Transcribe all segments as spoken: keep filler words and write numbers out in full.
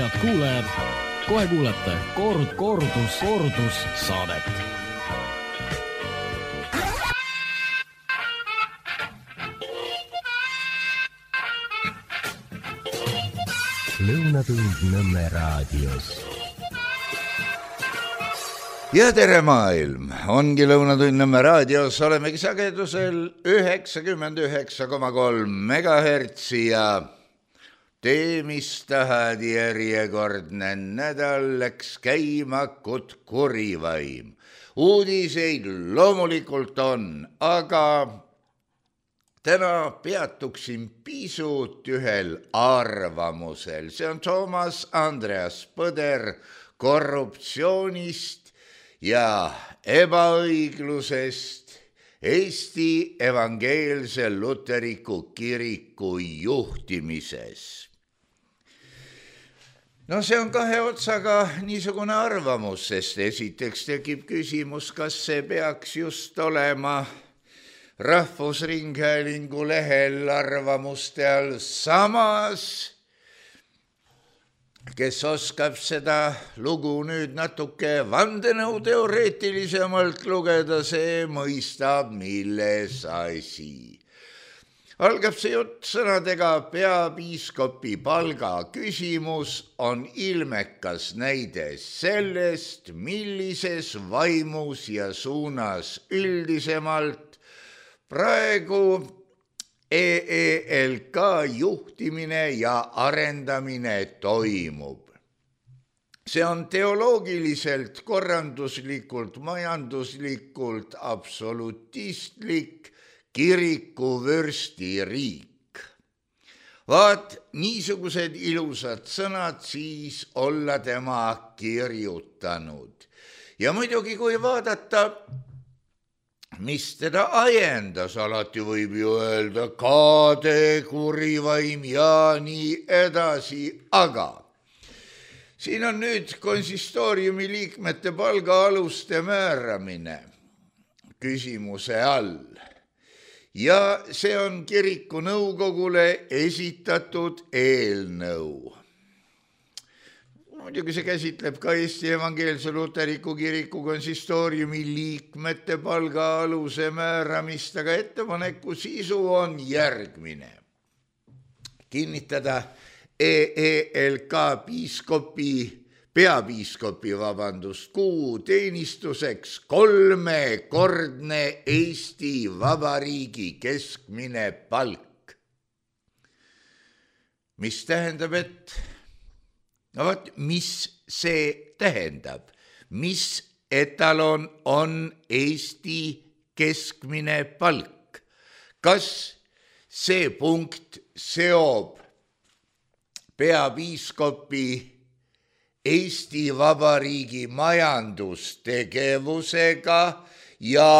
head kuulajad, kohe kuulete kord, kordus, kordus saadet. Lõunatund Nõmme raadios. Ja tere maailm, ongi Lõunatund Nõmme raadios, olemegi sagedusel üheksakümmend üheksa koma kolm megahertsi ja tee, mis tahad, järjekordne nädal läks käima kut kurivaim. Uudiseid loomulikult on, aga täna peatuksin pisut ühel arvamusel. See on Toomas Andreas Põder korruptsioonist ja ebaõiglusest Eesti evangeelse luteriku kiriku juhtimises. No see on kahe otsaga niisugune arvamus, sest esiteks tekib küsimus, kas see peaks just olema Rahvusringhäälingu lehel arvamuste all, samas kes oskab seda lugu nüüd natuke vandenõuteoreetilisemalt lugeda, see mõistab, milles asi. Algab see jutt sõnadega peapiiskopi palga küsimus on ilmekas näide sellest, millises vaimus ja suunas üldisemalt praegu E E L K juhtimine ja arendamine toimub. See on teoloogiliselt, korranduslikult, majanduslikult absolutistlik kirikuvürstiriik. Vaat niisugused ilusad sõnad siis olla tema kirjutanud. Ja muidugi, kui vaadata, mis teda ajendas, alati võib ju öelda kaade, kurivaim ja nii edasi, aga siin on nüüd konsistooriumi liikmete palgaaluste määramine küsimuse all ja see on kiriku nõukogule esitatud eelnõu. Muidugi see käsitleb ka Eesti evangeelse luteriku kiriku konsistooriumi liikmete palgaaluse määramist, aga ettepaneku sisu on järgmine. Kinnitada E E L K piiskopi, peapiiskopi, vabandust, kuu teenistuseks kolmekordne Eesti Vabariigi keskmine palk. Mis tähendab, et no vaat, mis see tähendab? Mis etalon on Eesti keskmine palk? Kas see punkt seob peapiiskopi Eesti Vabariigi majandustegevusega ja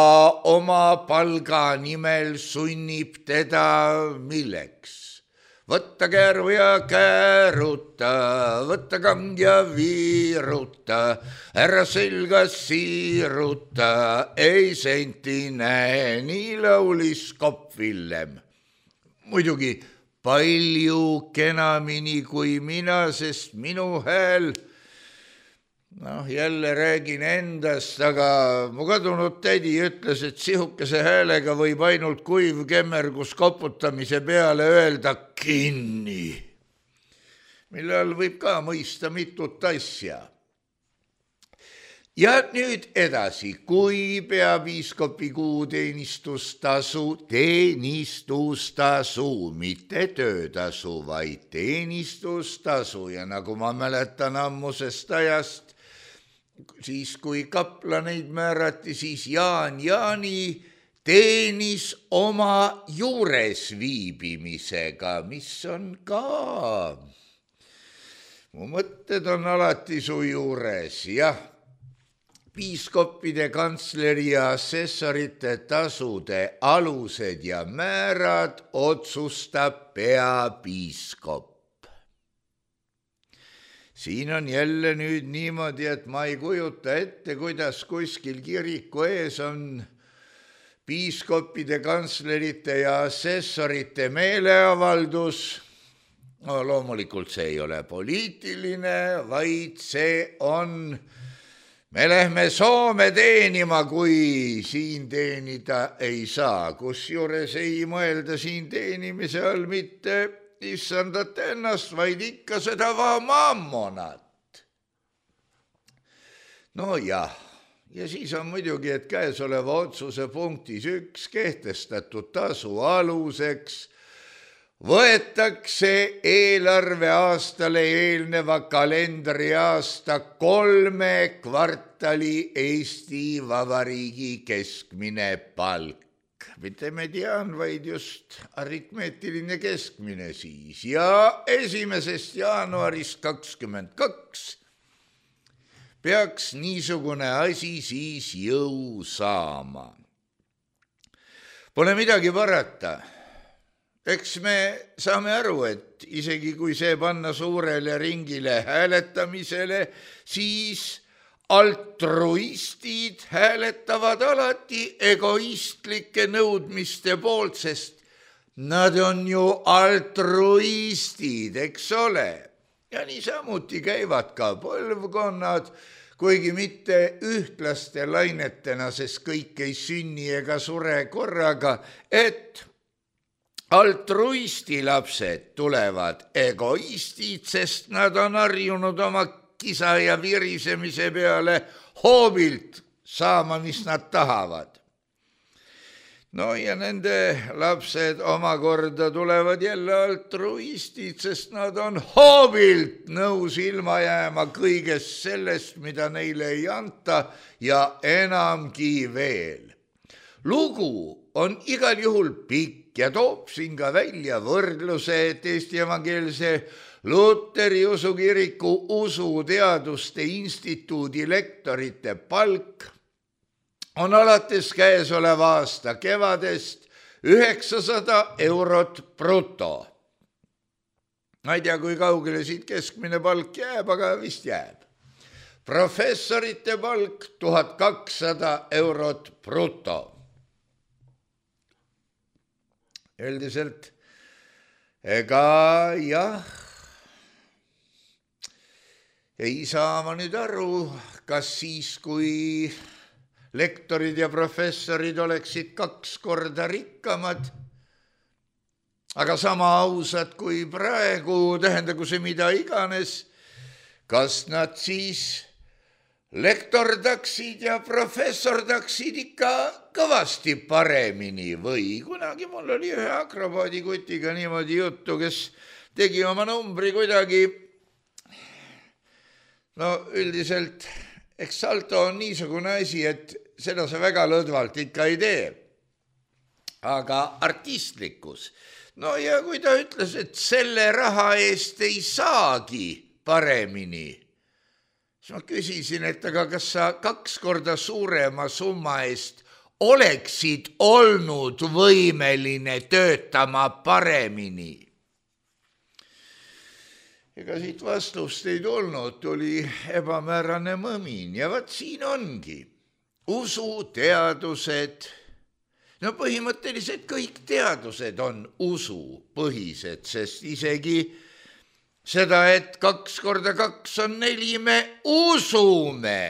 oma palga nimel sunnib teda milleks? Võtta kääru ja kääruta, võtta kand ja viiruta, ära selga siiruta, ei senti näe, nii laulis Kopp Villem. Muidugi palju kenamini kui mina, sest minu hääl, noh jälle räägin endast, aga mu kadunud tädi ütles, et sihukese häälega võib ainult kuiv kemmergus koputamise peale öelda kinni, mille all võib ka mõista mitut asja. Ja nüüd edasi, kui peapiiskopi kuu teenistustasu, teenistustasu, mitte töötasu, vaid teenistustasu ja nagu ma mäletan ammusest ajast, siis kui kaplaneid määrati, siis Jaan Jaani teenis oma juures viibimisega, mis on ka. Mu mõtted on alati su juures, jah. Piiskoppide, kantsleri ja assessorite tasude alused ja määrad otsustab peapiiskop. Siin on jälle nüüd niimoodi, et ma ei kujuta ette, kuidas kuskil kiriku ees on piiskoppide, kantslerite ja assessorite meeleavaldus no loomulikult see ei ole poliitiline, vaid see on, me lähme Soome teenima, kui siin teenida ei saa. Kusjuures ei mõelda siin teenimise all mitte issandat ennast, vaid ikka seda mammonat. No jah, ja siis on muidugi, et käesoleva otsuse punktis üks kehtestatud tasu aluseks võetakse eelarveaastale eelneva kalendriaasta kolme kvartali Eesti Vabariigi keskmine palk. Mitte mediaan, vaid just aritmeetiline keskmine siis. Ja esimesest jaanuarist kakskümmend kaks peaks niisugune asi siis jõu saama. Pole midagi parata. Eks me saame aru, et isegi kui see panna suurele ringile hääletamisele, siis altruistid hääletavad alati egoistlike nõudmiste poolt, sest nad on ju altruistid, eks ole. Ja niisamuti käivad ka põlvkonnad, kuigi mitte ühtlaste lainetena, sest kõik ei sünni ega sure korraga, et altruisti lapsed tulevad egoistid, sest nad on harjunud oma kisa ja virisemise peale hoobilt saama, mis nad tahavad. No ja nende lapsed omakorda tulevad jälle altruistid, sest nad on hoobilt nõus ilma jääma kõigest sellest, mida neile ei anta ja enamgi veel. Lugu on igal juhul pikk ja toob siin ka välja võrdluse, et Eesti Evangeelse Luteri usukiriku usuteaduste instituudi lektorite palk on alates käesoleva aasta kevadest üheksasada eurot bruto. Ma ei tea, kui kaugele siit keskmine palk jääb, aga vist jääb. Professorite palk tuhat kakssada eurot bruto. Üldiselt, ega jah, ei saa ma nüüd aru, kas siis, kui lektorid ja professorid oleksid kaks korda rikkamad, aga sama ausad kui praegu, tähendagu see mida iganes, kas nad siis lektordaksid ja professordaksid ikka kõvasti paremini või kunagi mul oli ühe akrobaadikutiga niimoodi juttu, kes tegi oma numbri kuidagi, no üldiselt, eks salto on niisugune asi, et seda sa väga lõdvalt ikka ei tee, aga artistlikkus. No ja kui ta ütles, et selle raha eest ei saagi paremini, siis ma küsisin, et aga kas sa kaks korda suurema summa eest oleksid olnud võimeline töötama paremini? Ega siit vastust ei tulnud, tuli ebamäärane mõmin ja vaat siin ongi usuteadused. No põhimõtteliselt kõik teadused on usupõhised, sest isegi seda, et kaks korda kaks on neli, me usume.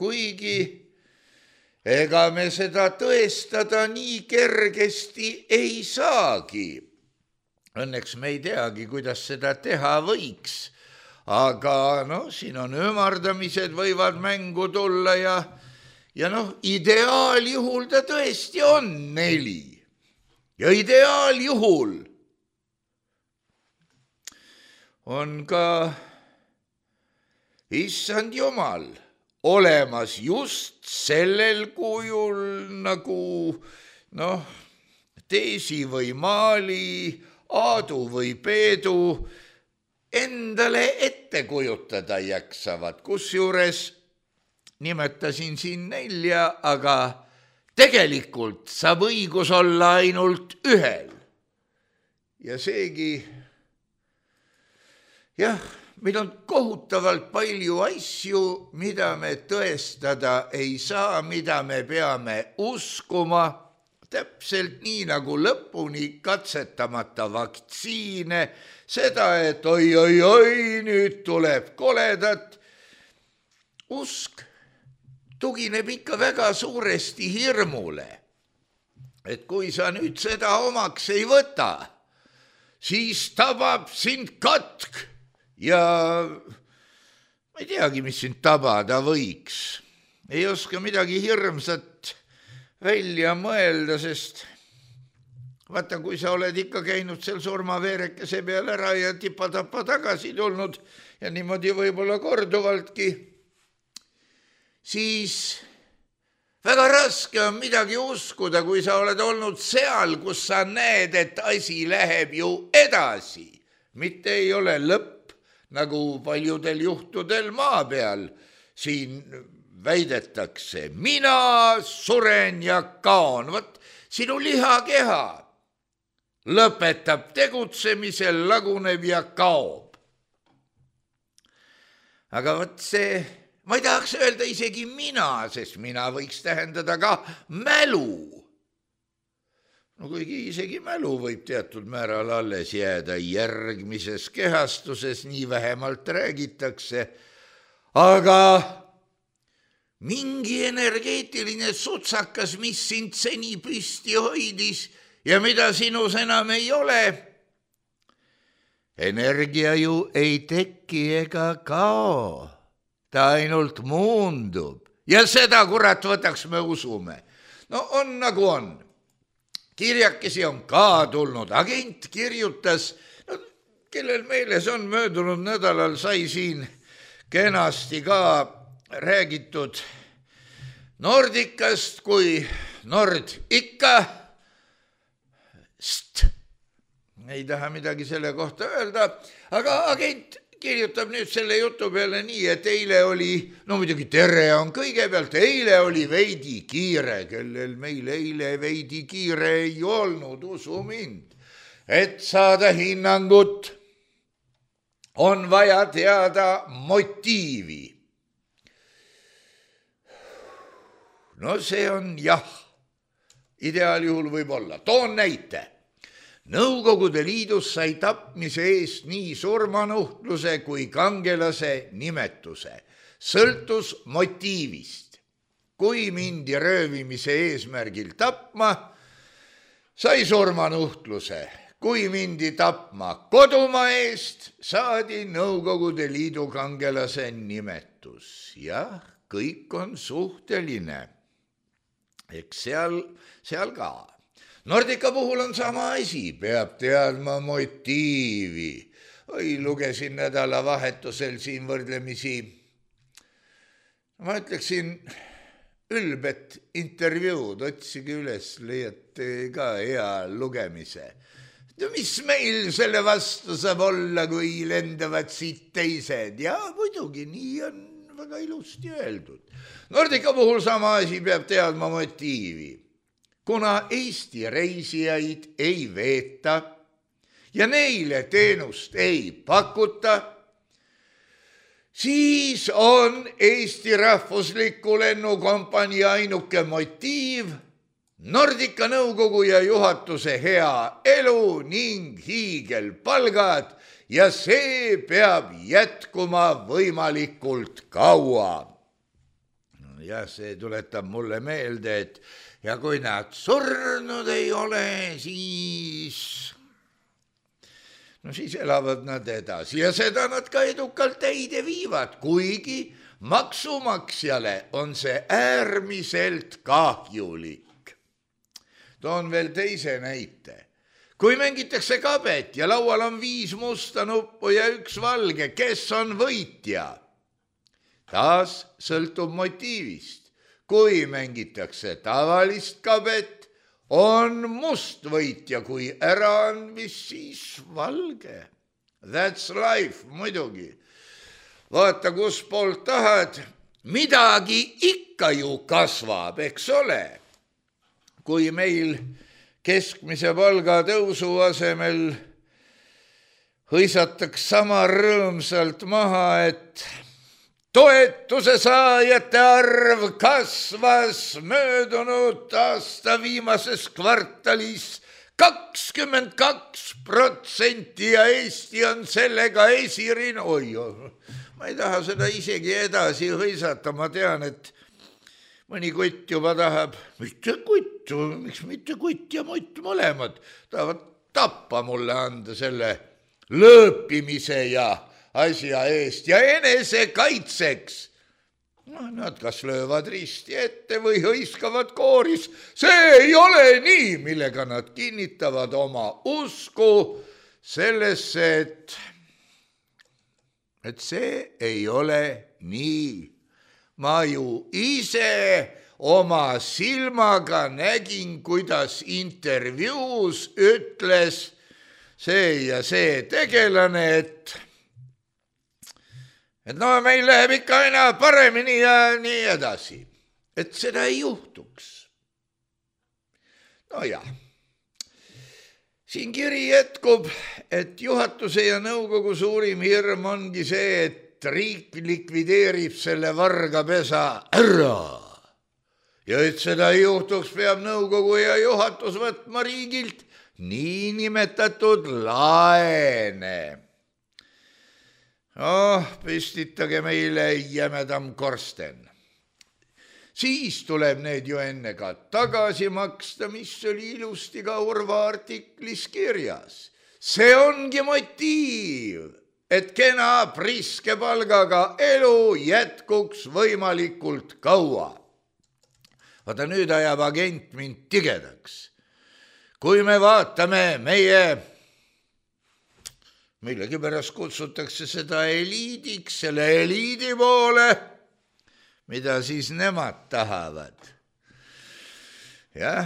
Kuigi ega me seda tõestada nii kergesti ei saagi. Õnneks me ei teagi, kuidas seda teha võiks. Aga no, siin on ümardamised võivad mängu tulla ja, ja noh, ideaaljuhul ta tõesti on neli. Ja ideaaljuhul on ka issand Jumal olemas just sellel kujul nagu noh, Teesi või Maali, Aadu või Peedu endale ette kujutada jaksavad, kusjuures nimetasin siin nelja, aga tegelikult saab õigus olla ainult ühel. Ja seegi jah, meil on kohutavalt palju asju, mida me tõestada ei saa, mida me peame uskuma, täpselt nii nagu lõpuni katsetamata vaktsiine, seda, et oi, oi, oi, nüüd tuleb koledat. Usk tugineb ikka väga suuresti hirmule, et kui sa nüüd seda omaks ei võta, siis tabab sind katk ja ma ei teagi, mis sind tabada võiks. Ei oska midagi hirmsat välja mõelda, sest vaata, kui sa oled ikka käinud seal surmaveerekese peal ära ja tipa-tapa tagasi tulnud ja niimoodi võib-olla korduvaltki, siis väga raske on midagi uskuda, kui sa oled olnud seal, kus sa näed, et asi läheb ju edasi. Mitte ei ole lõpp, nagu paljudel juhtudel maa peal siin väidetakse. Mina suren ja kaon. Võt, sinu lihakeha lõpetab tegutsemisel, laguneb ja kaob. Aga võt see, ma ei tahaks öelda isegi mina, sest mina võiks tähendada ka mälu. No kuigi isegi mälu võib teatud määral alles jääda järgmises kehastuses, nii vähemalt räägitakse, aga mingi energeetiline sutsakas, mis sind seni püsti hoidis ja mida sinus enam ei ole. Energia ju ei teki ega kao, ta ainult muundub ja seda, kurat, võtaks me usume. No on nagu on. Kirjakesi on ka tulnud, agent kirjutas, no, kellel meeles on möödunud nädalal sai siin kenasti ka räägitud Nordicast kui Nord ikka st. Ei taha midagi selle kohta öelda, aga agent kirjutab nüüd selle jutu peale nii, et eile oli, no muidugi tere on kõigepealt, eile oli veidi kiire, kellel meil eile veidi kiire ei olnud, usu mind, et saada hinnangut, on vaja teada motiivi. No see on jah, ideaaljuhul võib olla. Toon näite. Nõukogude Liidus sai tapmise eest nii surmanuhtluse kui kangelase nimetuse. Sõltus motiivist. Kui mindi röövimise eesmärgil tapma, sai surmanuhtluse. Kui mindi tapma kodumaa eest, saadi Nõukogude Liidu kangelase nimetus. Jah, kõik on suhteline. Eks seal, seal ka. Nordica puhul on sama asi, peab teadma motiivi. Oi, lugesin nädalavahetusel siin võrdlemisi, ma ütleksin, ülbet intervjuud, otsige üles, leiate ka hea lugemise. Mis meil selle vastu saab olla, kui lendavad siit teised? Ja muidugi, nii on väga ilusti öeldud. Nordica puhul sama asi, peab teadma motiivi. Kuna Eesti reisijaid ei veeta ja neile teenust ei pakuta, siis on Eesti rahvusliku lennukompanii ainuke motiiv Nordica nõukogu ja juhatuse hea elu ning hiigelpalgad ja see peab jätkuma võimalikult kaua. No ja see tuletab mulle meelde, et ja kui nad surnud ei ole, siis, no siis elavad nad edasi ja seda nad ka edukalt täide viivad, kuigi maksumaksjale on see äärmiselt kahjulik. Toon veel teise näite. Kui mängitakse kabet ja laual on viis musta nuppu ja üks valge, kes on võitja? Taas sõltub motiivist. Kui mängitakse tavalist kabet, on must võitja, kui äraandmis, siis valge. That's life, muidugi. Vaata, kus poolt tahad, midagi ikka ju kasvab, eks ole. Kui meil keskmise palga tõusu asemel hõisataks sama rõõmsalt maha, et toetuse saajate arv kasvas möödunud aasta viimases kvartalis kakskümmend kaks protsenti ja Eesti on sellega esirin. Oi, ma ei taha seda isegi edasi hõisata, ma tean, et mõni kutt juba tahab, mitte kutt, miks mitte kutt ja mutt mõlemad, tahavad tappa mulle anda selle lõõpimise ja asja eest ja enesekaitseks. No, nad kas löövad risti ette või hõiskavad kooris. See ei ole nii, millega nad kinnitavad oma usku sellesse, et, et see ei ole nii. Ma ju ise oma silmaga nägin, kuidas intervjuus ütles see ja see tegelane, et et no meil läheb ikka aina paremini ja nii edasi, et seda ei juhtuks. No jah, siin kiri jätkub, et juhatuse ja nõukogu suurim hirm ongi see, et riik likvideerib selle vargapesa ära. Ja et seda ei juhtuks, peab nõukogu ja juhatus võtma riigilt niinimetatud laene. Oh, püstitage meile jämedam korsten. Siis tuleb need ju enne ka tagasi maksta, mis oli ilusti ka Urva artiklis kirjas. See ongi motiiv, et kena priske palgaga elu jätkuks võimalikult kaua. Vaata, nüüd ajab agent mind tigedaks. Kui me vaatame meie millegi pärast kutsutakse seda eliidiks, selle eliidi poole, mida siis nemad tahavad. Jah,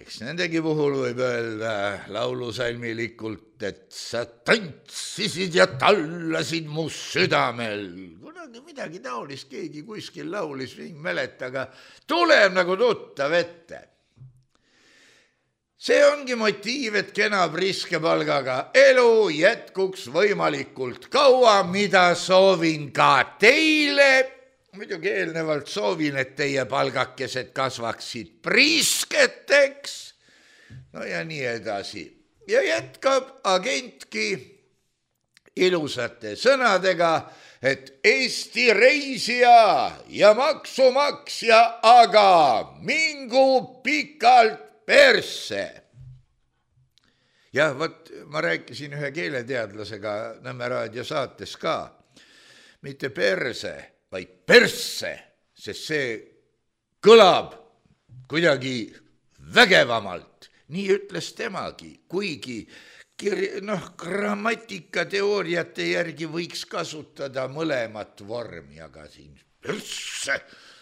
eks nendegi puhul võib öelda laulusalmilikult, et sa tantsisid ja tallasid mu südamel. Kunagi midagi taolist keegi kuskil laulis, ei mäleta, aga tuleb nagu tuttav ette. See ongi motiiv, et kena priske palgaga elu jätkuks võimalikult kaua, mida soovin ka teile. Muidugi eelnevalt soovin, et teie palgakesed kasvaksid prisketeks. No ja nii edasi. Ja jätkab agentki ilusate sõnadega, et Eesti reisija ja maksumaksja aga mingu pikalt persse. Jah, võt, ma rääkisin ühe keeleteadlasega Nõmme raadio saates ka. Mitte perse, vaid persse, sest see kõlab kuidagi vägevamalt. Nii ütles temagi, kuigi kir- noh, grammatikateooriate järgi võiks kasutada mõlemat vormi, aga siin persse,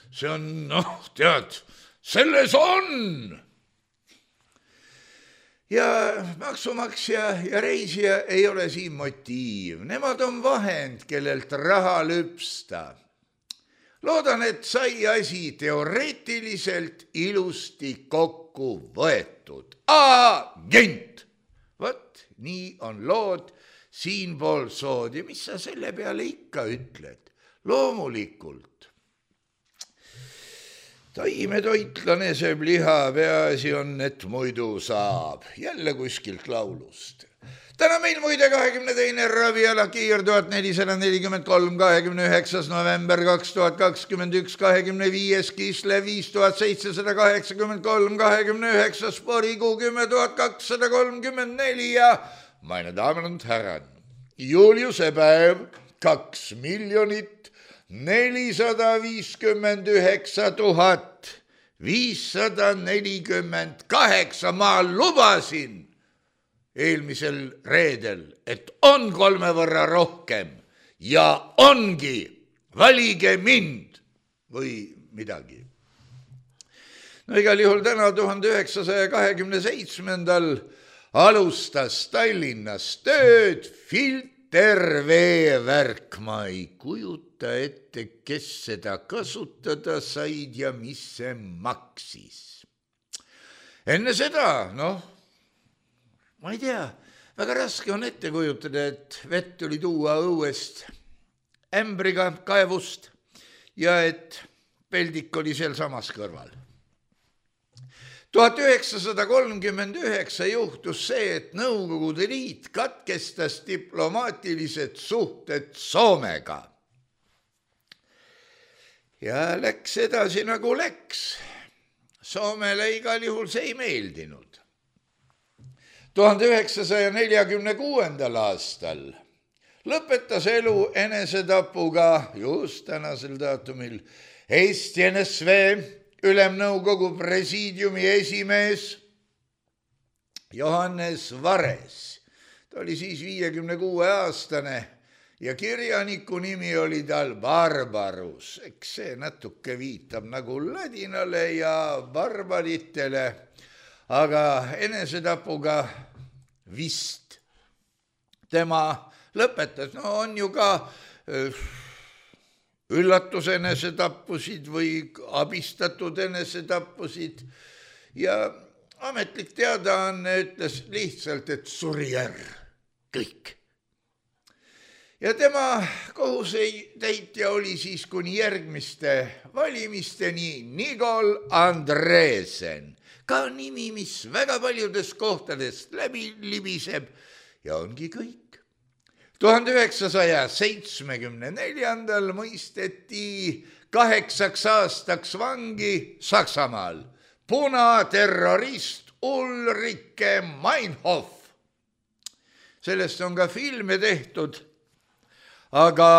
see on, noh, tead, selles on. Ja maksumaksja ja reisija ei ole siin motiiv. Nemad on vahend, kellelt raha lüpsta. Loodan, et sai asi teoreetiliselt ilusti kokku võetud. Agent! Vot, nii on lood siinpool sood. Ja mis sa selle peale ikka ütled? Loomulikult. Taimetoitlane sööb liha, peaasi on, et muidu saab. Jälle kuskilt laulust. Täna meil muide kahekümne teine raviala kiir tuhat nelisada nelikümmend kolm, kahekümne üheksas november kaks tuhat kakskümmend üks, kahekümne viies Kisle viis tuhat seitsesada kaheksakümmend kolm, kahekümne üheksas Porikuu kümme tuhat kakssada kolmkümmend neli ja meine Damen und Herren, Juliuse päev kaks miljonit nelisada viiskümmend üheksa tuhat viissada nelikümmend kaheksa. Ma lubasin eelmisel reedel, et on kolme võrra rohkem ja ongi, valige mind või midagi. No igal juhul täna tuhande üheksasaja kahekümne seitsmendal alustas Tallinnas tööd filterveevärk. Ma ei kujuta ette, kes seda kasutada said ja mis see maksis. Enne seda, noh, ma ei tea, väga raske on ette kujutada, et vett tuli tuua õuest ämbriga kaevust ja et peldik oli seal samas kõrval. tuhat üheksasada kolmkümmend üheksa juhtus see, et Nõukogude Liit katkestas diplomaatilised suhted Soomega. Ja läks edasi nagu läks. Soomele igal juhul see ei meeldinud. tuhande üheksasaja neljakümne kuuendal aastal lõpetas elu enesetapuga just tänasel daatumil Eesti N S V Ülemnõukogu presiidiumi esimees Johannes Vares. Ta oli siis viiekümne kuue aastane ja kirjaniku nimi oli tal Barbarus. Eks see natuke viitab nagu ladinale ja barbaritele, aga enesetapuga vist tema lõpetas. No on ju ka üllatus enesetappusid või abistatud enesetappusid ja ametlik teadaanne ütles lihtsalt, et suri ära kõik. Ja tema kohusetäitja oli siis kuni järgmiste valimisteni Nikol Andresen, ka nimi, mis väga paljudes kohtadest läbi libiseb ja ongi kõik. tuhande üheksasaja seitsmekümne neljandal mõisteti kaheksaks aastaks vangi Saksamaal punaterrorist Ulrike Meinhof. Sellest on ka filme tehtud, aga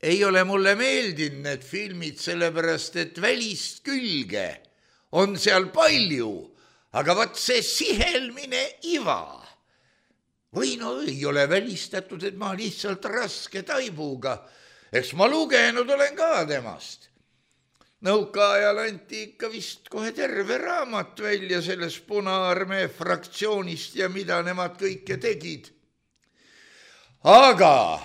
ei ole mulle meeldinud need filmid, sellepärast et välist külge on seal palju, aga vaat see sihelmine iva. Või no ei ole välistatud, et ma lihtsalt raske taibuga. Eks ma lugenud olen ka temast. Nõukaajal anti ikka vist kohe terve raamat välja sellest Punaarmee fraktsioonist ja mida nemad kõike tegid. Aga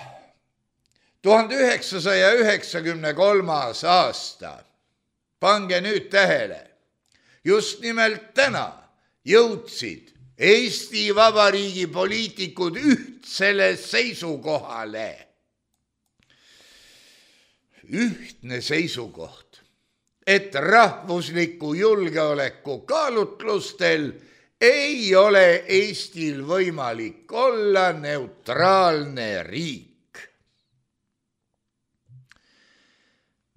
tuhande üheksasaja üheksakümne kolmas aasta, pange nüüd tähele, just nimelt täna jõudsid Eesti Vabariigi poliitikud ühtsele seisukohale. Ühtne seisukoht, et rahvusliku julgeoleku kaalutlustel ei ole Eestil võimalik olla neutraalne riik,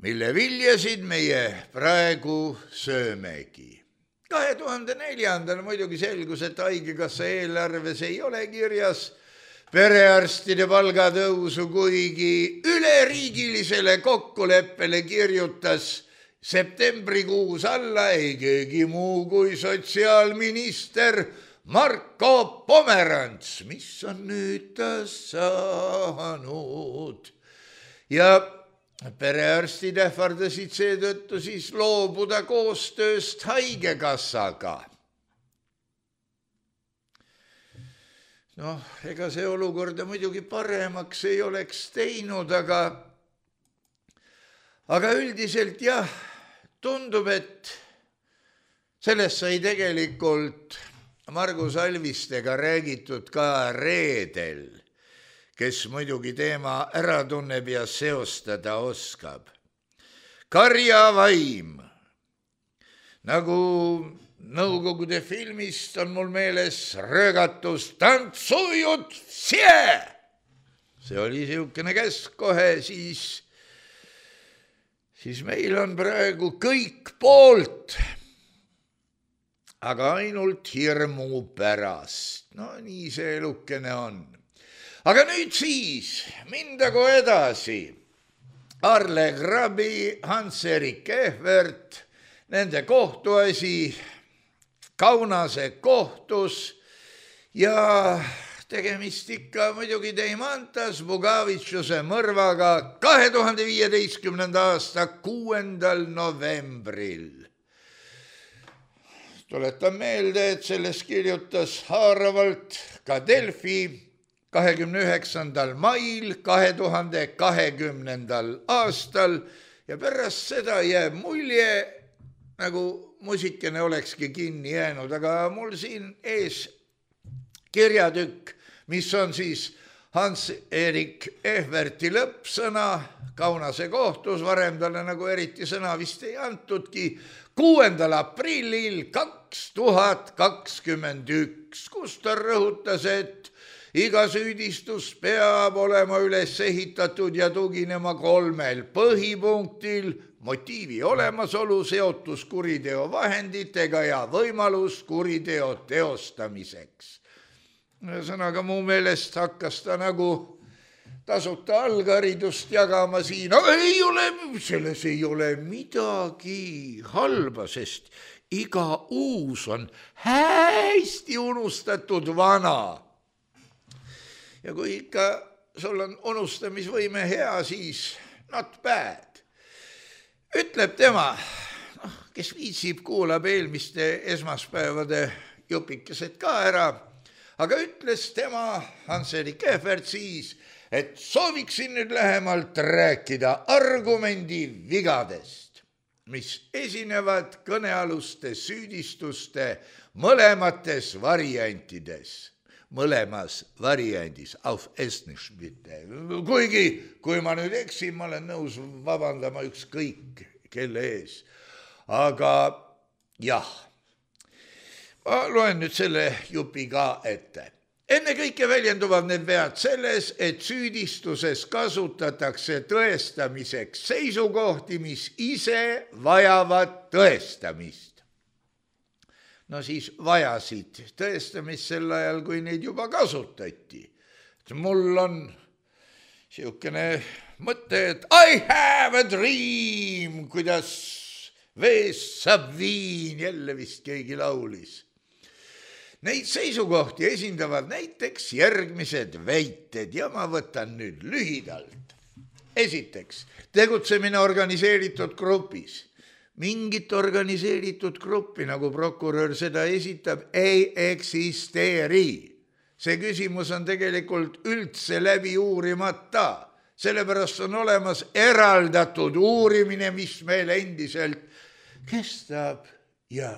mille viljasid meie praegu söömegi. kahe tuhande neljandal muidugi selgus, et haigekassa eelarves ei ole kirjas perearstide palgatõusu, kuigi üleriigilisele kokkuleppele kirjutas septembrikuus alla ei keegi muu kui sotsiaalminister Marko Pomerants, mis on nüüd ta saanud. Ja perearstid ähvardasid seetõttu siis loobuda koostööst haigekassaga. Noh, ega see olukorda muidugi paremaks ei oleks teinud, aga, aga üldiselt jah, tundub, et sellest sai tegelikult Margus Alvistega räägitud ka reedel, kes muidugi teema ära tunneb ja seostada oskab. Karjavaim, nagu Nõukogude filmist on mul meeles röögatus tantsujut sie. See oli siukene käsk kohe, siis, siis meil on praegu kõik poolt, aga ainult hirmu pärast. No nii see elukene on. Aga nüüd siis, mindagu edasi. Arle Grabi, Hans-Erik Ehvert, nende kohtuasi Kaunase kohtus ja tegemist ikka muidugi Deimantas Bugavitšuse mõrvaga kahe tuhande viieteistkümnenda aasta kuuendal novembril. Tuletan meelde, et sellest kirjutas haaravalt ka Delfi kahekümne üheksandal mail kahe tuhande kahekümnendal aastal ja pärast seda jääb mulje, nagu musikene olekski kinni jäänud, aga mul siin ees kirjatükk, mis on siis Hans-Erik Ehverti lõppsõna Kaunase kohtus, varem talle nagu eriti sõna vist ei antudki, kuuendal aprillil kaks tuhat kakskümmend üks, kus ta rõhutas, et iga süüdistus peab olema üles ehitatud ja tuginema kolmel põhipunktil: motiivi olemasolu, seotus kuriteo vahenditega ja võimalus kuriteo teostamiseks. Ühesõnaga mu meelest hakkas ta nagu tasuta algharidust jagama siin. Ei ole, selles ei ole midagi halba, sest iga uus on hästi unustatud vana. Ja kui ikka sul on unustamisvõime hea, siis not bad. Ütleb tema, noh, kes viitsib, kuulab eelmiste esmaspäevade jupikesed ka ära, aga ütles tema, Hans-Erik Ehvert siis, et sooviksin nüüd lähemalt rääkida argumendi vigadest, mis esinevad kõnealuste süüdistuste mõlemates variantides. Mõlemas variandis, auf Estnisch bitte. Kuigi, kui ma nüüd eksin, ma olen nõus vabandama ükskõik kelle ees. Aga jah, ma loen nüüd selle jupi ka ette. Enne kõike väljenduvad need vead selles, et süüdistuses kasutatakse tõestamiseks seisukohti, mis ise vajavad tõestamist. No siis vajasid tõestamist sel ajal, kui neid juba kasutati. Mul on siukene mõte, et I have a dream, kuidas veest saab viin, jälle vist keegi laulis. Neid seisukohti esindavad näiteks järgmised väited ja ma võtan nüüd lühidalt. Esiteks, tegutsemine organiseeritud grupis. Mingit organiseeritud gruppi, nagu prokurör seda esitab, ei eksisteeri. See küsimus on tegelikult üldse läbi uurimata. Sellepärast on olemas eraldatud uurimine, mis meil endiselt kestab ja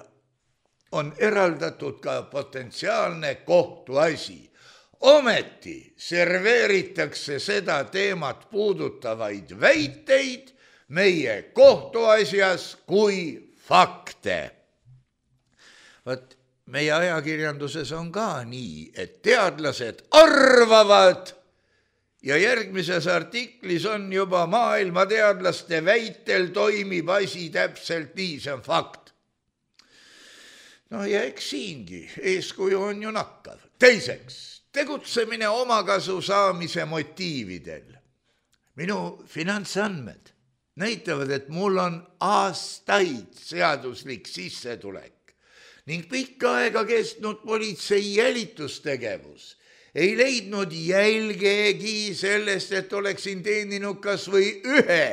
on eraldatud ka potentsiaalne kohtuasi. Ometi serveeritakse seda teemat puudutavaid väiteid meie kohtuasjas kui fakte. Võt, meie ajakirjanduses on ka nii, et teadlased arvavad ja järgmises artiklis on juba maailma teadlaste väitel toimib asi täpselt nii, see on fakt. No ja eks siingi eeskuju on ju nakkav. Teiseks, tegutsemine omakasu saamise motiividel. Minu finantsandmed näitavad, et mul on aastaid seaduslik sissetulek ning pikka aega kestnud politsei jälitustegevus ei leidnud jälgegi sellest, et oleksin teeninud kas või ühe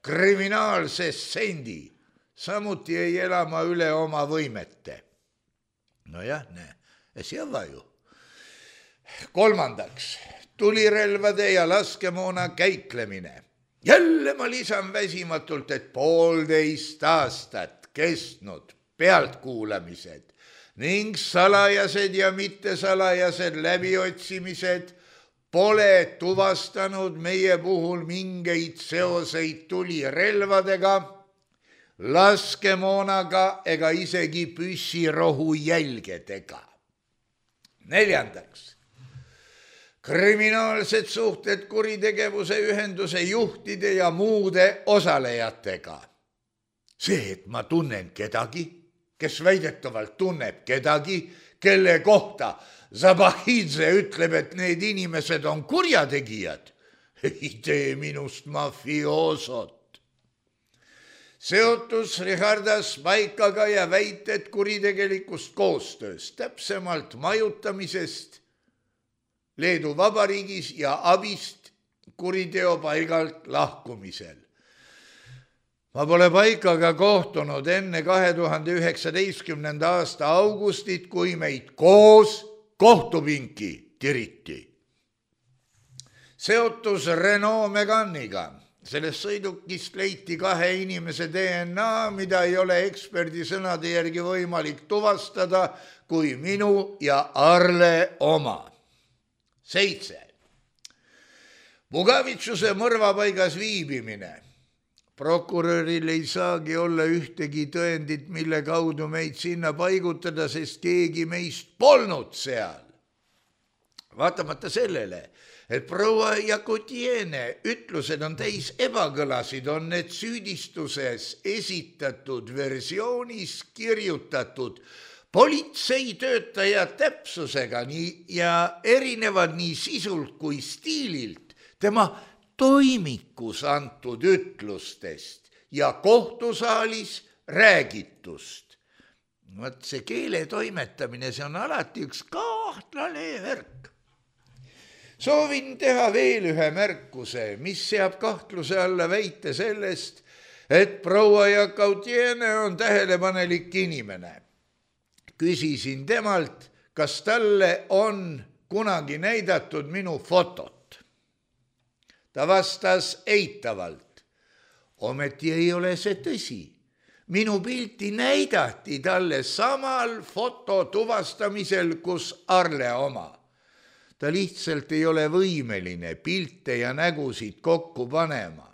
kriminaalse sendi. Samuti ei ela ma üle oma võimete. No jah, näe, see on vaju. Kolmandaks, tulirelvade ja laskemoona käitlemine. Jälle ma lisan väsimatult, et poolteist aastat kestnud pealtkuulamised ning salajased ja mittesalajased läbiotsimised pole tuvastanud meie puhul mingeid seoseid tulirelvadega, laskemoonaga ega isegi püssirohu jälgedega. Neljandaks, kriminaalsed suhted kuritegevuse ühenduse juhtide ja muude osalejatega. See, et ma tunnen kedagi, kes väidetavalt tunneb kedagi, kelle kohta Zabahidze ütleb, et need inimesed on kurjategijad, ei tee minust mafioosot. Seotus Richardas Paikaga ja väited kuritegelikust koostööst, täpsemalt majutamisest Leedu Vabariigis ja abist kuriteo paigalt lahkumisel. Ma pole Paikaga kohtunud enne kahe tuhande üheksateistkümnenda aasta augustit, kui meid koos kohtupinki tiriti. Seotus Renault Meganiga. Sellest sõidukist leiti kahe inimese D N A, mida ei ole eksperdi sõnade järgi võimalik tuvastada kui minu ja Arle oma. Seitse. Mugavitsuse mõrvapaigas viibimine. Prokuröril ei saagi olla ühtegi tõendit, mille kaudu meid sinna paigutada, sest keegi meist polnud seal. Vaatamata sellele, et proua Jakutiene ütlused on täis ebakõlasid, on need süüdistuses esitatud versioonis kirjutatud politseitöötaja täpsusega nii, ja erinevad nii sisult kui stiililt tema toimikus antud ütlustest ja kohtusaalis räägitust. Vaat see keele toimetamine, see on alati üks kahtlane värk. Soovin teha veel ühe märkuse, mis seab kahtluse alla väite sellest, et proua Jakutiene on tähelepanelik inimene. Küsisin temalt, kas talle on kunagi näidatud minu fotot. Ta vastas eitavalt. Ometi ei ole see tõsi. Minu pilti näidati talle samal foto tuvastamisel, kus Arle oma. Ta lihtsalt ei ole võimeline pilte ja nägusid kokku panema.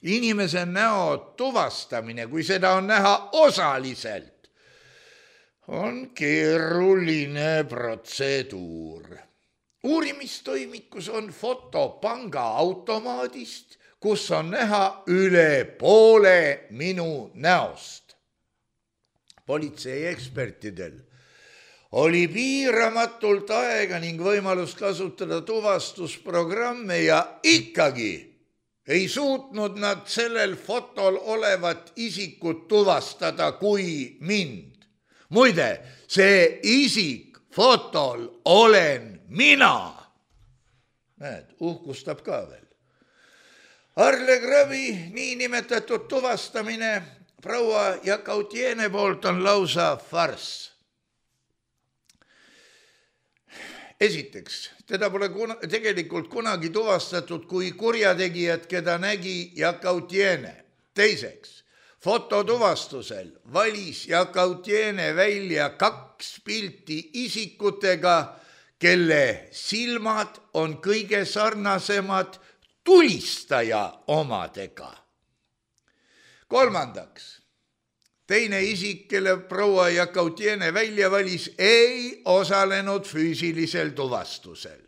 Inimese näo tuvastamine, kui seda on näha osaliselt, on keeruline protseduur. Uurimistoimikus on foto panga automaadist, kus on näha üle poole minu näost. Politsei ekspertidel oli piiramatult aega ning võimalus kasutada tuvastusprogramme ja ikkagi ei suutnud nad sellel fotol olevat isikut tuvastada kui mind. Muide, see isik fotol olen mina. Näed, uhkustab ka veel. Arle Grabi niinimetatud tuvastamine proua Jakutiene poolt on lausa farss. Esiteks, teda pole kuna, tegelikult kunagi tuvastatud kui kurjategijat, keda nägi Jakutiene. Teiseks, fototuvastusel valis Jakutiene välja kaks pilti isikutega, kelle silmad on kõige sarnasemad tulistaja omadega. Kolmandaks, teine isik, kelle proua Jakutiene välja valis, ei osalenud füüsilisel tuvastusel.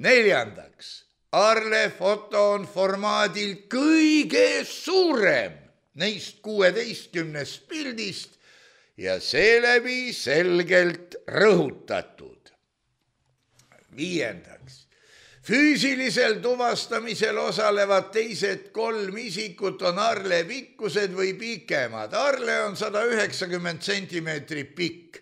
Neljandaks, Arle foto on formaadil kõige suurem neist kuueteistkümnest pildist ja seeläbi selgelt rõhutatud. Viiendaks, füüsilisel tuvastamisel osalevad teised kolm isikut on Arle pikkused või pikemad. Arle on sada üheksakümmend sentimeetri pikk.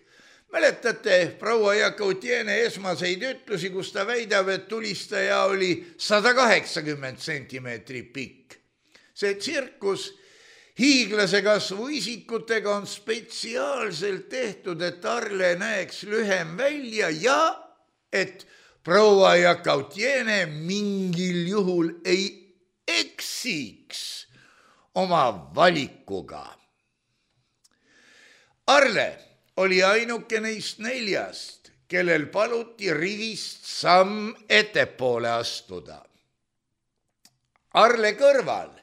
Mäletate proua Jakutiene esmaseid ütlusi, kus ta väidab, et tulistaja oli sada kaheksakümmend sentimeetri pikk. See tsirkus hiiglase kasvu isikutega on spetsiaalselt tehtud, et Arle näeks lühem välja ja et proua Jakutiene mingil juhul ei eksiks oma valikuga. Arle oli ainuke neist neljast, kellel paluti rivist samm ettepoole astuda. Arle kõrval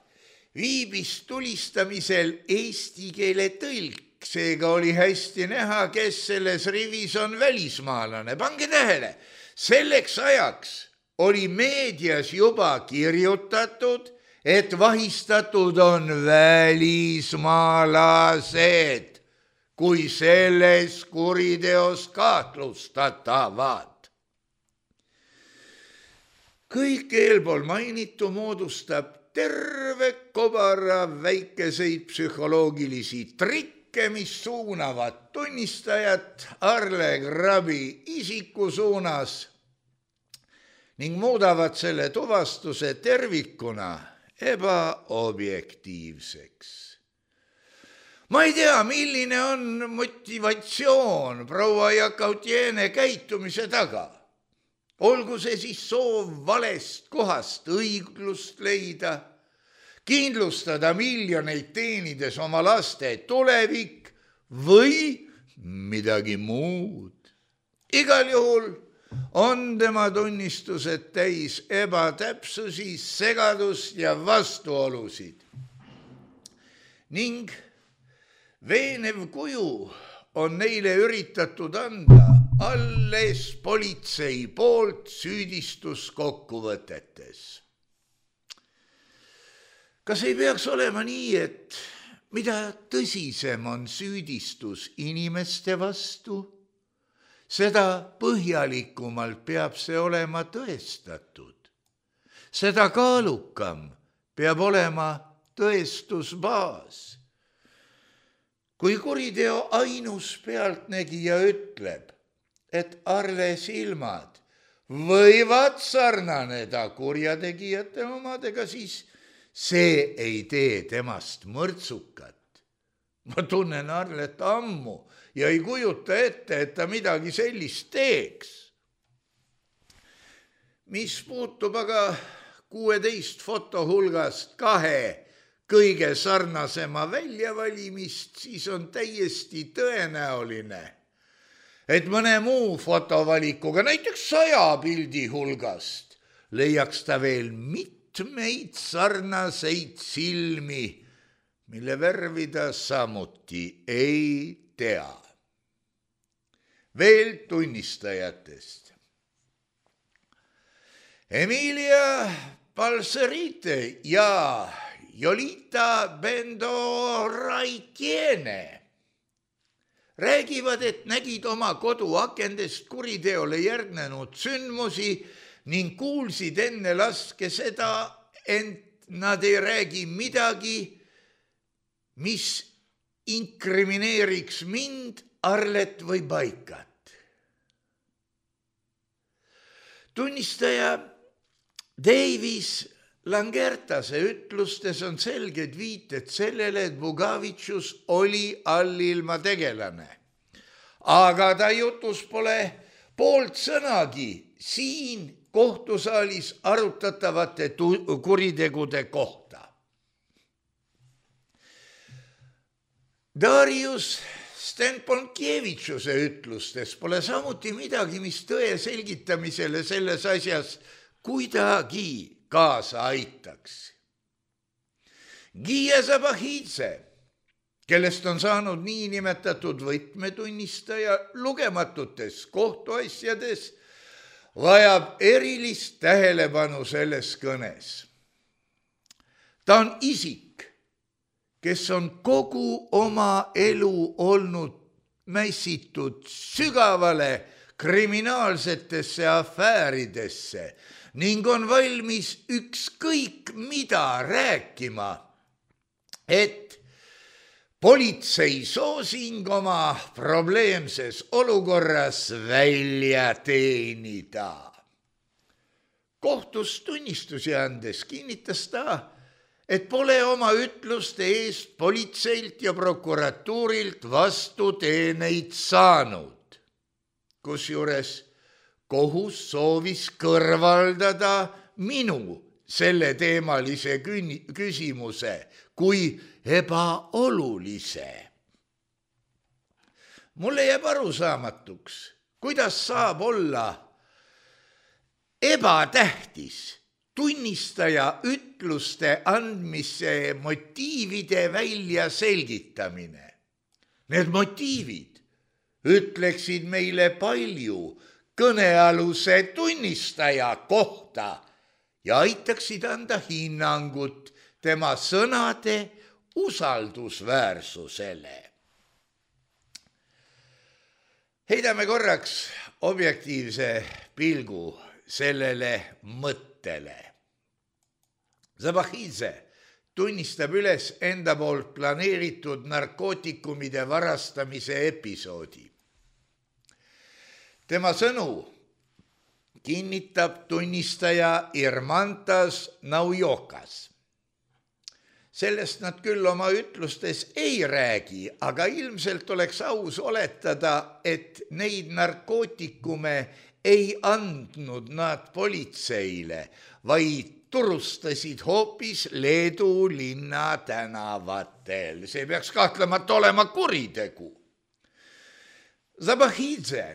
viibis tulistamisel eesti keele tõlk, seega oli hästi näha, kes selles rivis on välismaalane. Pange tähele, selleks ajaks oli meedias juba kirjutatud, et vahistatud on välismaalased, kui selles kuriteos kahtlustatavad. Kõik eelpool mainitu moodustab terve kobara väikeseid psühholoogilisi trikke, mis suunavad tunnistajat Arle Grabi isiku suunas ning muudavad selle tuvastuse tervikuna ebaobjektiivseks. Ma ei tea, milline on motivatsioon proua Jakutiene käitumise taga. Olgu see siis soov valest kohast õiglust leida, kindlustada miljoneid teenides oma laste tulevik või midagi muud. Igal juhul on tema tunnistused täis ebatäpsusi, segadust ja vastuolusid. Ning veenev kuju on neile üritatud anda alles politsei poolt süüdistuskokkuvõtetes. Kas ei peaks olema nii, et mida tõsisem on süüdistus inimeste vastu, seda põhjalikumalt peab see olema tõestatud. Seda kaalukam peab olema tõestusbaas. Kui kuriteo ainus pealtnägija ütleb, et Arle silmad võivad sarnaneda kurjategijate omadega, siis see ei tee temast mõrtsukat. Ma tunnen Arlet ammu ja ei kujuta ette, et ta midagi sellist teeks. Mis puutub aga kuueteist foto hulgast kahe kõige sarnasema väljavalimist, siis on täiesti tõenäoline, et mõne muu fotovalikuga, näiteks saja pildi hulgast, leiaks ta veel mitmeid sarnaseid silmi, mille värvi ta samuti ei tea. Veel tunnistajatest. Emilia Balcerite ja Jolita Bendoraitiene räägivad, et nägid oma koduakendest kuriteole järgnenud sündmusi ning kuulsid enne laske seda, ent nad ei räägi midagi, mis inkrimineeriks mind, Arlet või Baikat. Tunnistaja Davis Langertase ütlustes on selged viited sellele, et Bugavitšus oli allilma tegelane. Aga ta jutus pole poolt sõnagi siin kohtusaalis arutatavate kuritegude kohta. Darius Stenponkievitšuse ütlustes pole samuti midagi, mis tõe selgitamisele selles asjas kuidagi kaasa aitaks. Gia Zabahidze, kellest on saanud niinimetatud võtmetunnistaja lugematutes kohtuasjades, vajab erilist tähelepanu selles kõnes. Ta on isik, kes on kogu oma elu olnud mässitud sügavale kriminaalsetesse afääridesse ning on valmis ükskõik mida rääkima, et politsei soosing oma probleemses olukorras välja teenida. Kohtus tunnistusi andes kinnitas ta, et pole oma ütluste eest politseilt ja prokuratuurilt vastuteeneid saanud, kusjuures kohus soovis kõrvaldada minu selle teemalise küsimuse kui ebaolulise. Mulle jääb arusaamatuks, kuidas saab olla ebatähtis tunnistaja ütluste andmise motiivide välja selgitamine. Need motiivid ütleksid meile palju kõnealuse tunnistaja kohta ja aitaksid anda hinnangut tema sõnade usaldusväärsusele. Heidame korraks objektiivse pilgu sellele mõttele. Zabahidze tunnistab üles enda poolt planeeritud narkootikumide varastamise episoodi. Tema sõnu kinnitab tunnistaja Irmantas Naujokas. Sellest nad küll oma ütlustes ei räägi, aga ilmselt oleks aus oletada, et neid narkootikume ei andnud nad politseile, vaid turustasid hoopis Leedu linna tänavatel. See peaks kahtlemata olema kuritegu. Zabahidze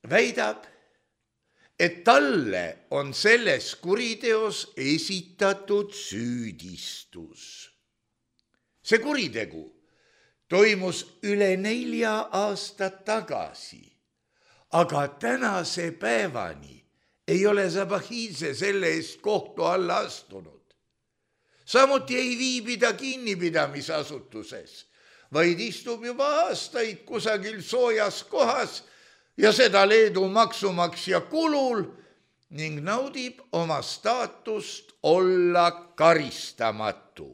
väidab, et talle on selles kuriteos esitatud süüdistus. See kuritegu toimus üle nelja aastat tagasi, aga tänase päevani ei ole Zabahidze selle eest kohtu alla astunud. Samuti ei viibi ta kinnipidamisasutuses, vaid istub juba aastaid kusagil soojas kohas ja seda Leedu maksumaksja kulul ning naudib oma staatust olla karistamatu.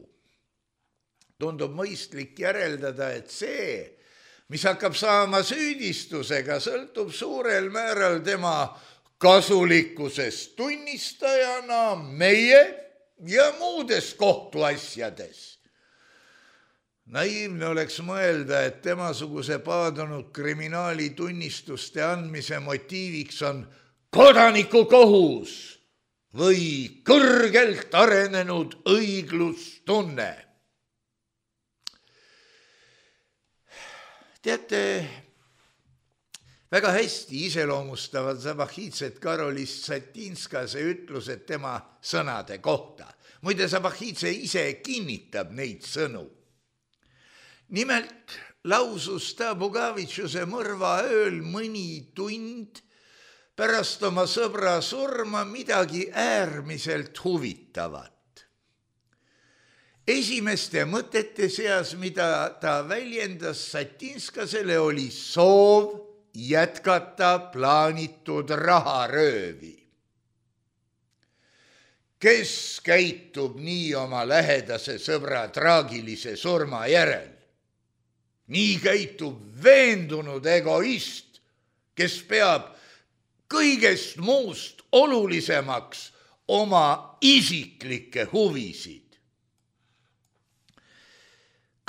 Tundub mõistlik järeldada, et see, mis hakkab saama süüdistusega, sõltub suurel määral tema kasulikkusest tunnistajana meie ja muudes kohtuasjades. Naiivne oleks mõelda, et temasuguse paadunud kriminaali tunnistuste andmise motiiviks on kodanikukohus või kõrgelt arenenud õiglustunne. Teate, väga hästi iseloomustavad Zabahidzet Karolis Satinskase ütlused tema sõnade kohta. Muide, Zabahidze ise kinnitab neid sõnu. Nimelt lausus ta Bugavitšuse mõrva ööl mõni tund pärast oma sõbra surma midagi äärmiselt huvitavat. Esimeste mõtete seas, mida ta väljendas Satinskasele, oli soov jätkata plaanitud raharöövi. Kes käitub nii oma lähedase sõbra traagilise surma järel? Nii käitub veendunud egoist, kes peab kõigest muust olulisemaks oma isiklikke huvisid.